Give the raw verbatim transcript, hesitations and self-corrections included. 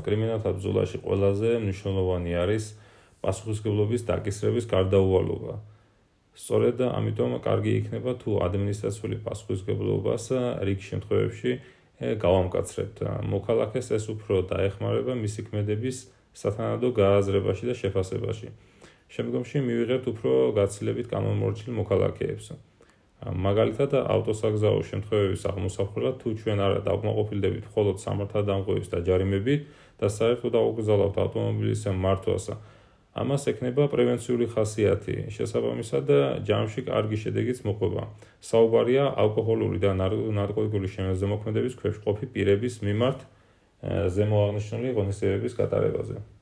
კრიმინალთა ბრძოლაში ყველაზე მნიშვნელოვანი არის პასუხისმგებლობის დაკისრების გარდაუვალობა. სწორედ ამიტომ კარგი იქნება თუ ადმინისტრაციული პასუხისმგებლობას რიგ შემთხვევებში გავამკაცრებთ. მოქალაქეს ეს უფრო დაეხმარება მისი ქმედების სათანადო გააზრებაში და შეფასებაში. შემდგომში მივიღებთ უფრო გაცილებით კანონმორჩილ მოქალაქეებს. მაგალითად, ავტოსაგზაო შემთხვევების აღმოსახრულად თუ ჩვენ არა დავკმაყოფილდებით მხოლოდ სამართალდამხვევით და ჯარიმებით და საერთოდ დავუკრძალავთ ავტომობილის მართვას, ამას ექნება პრევენციული ხასიათი, შესაბამისად ჯამში კარგი შედეგიც მოყვება. საუბარია ალკოჰოლური და ნარკოტიკული შემოქმედების ქვეშ მყოფი პირების მიმართ ზემოაღნიშნული ღონისძიებების გატარებაზე.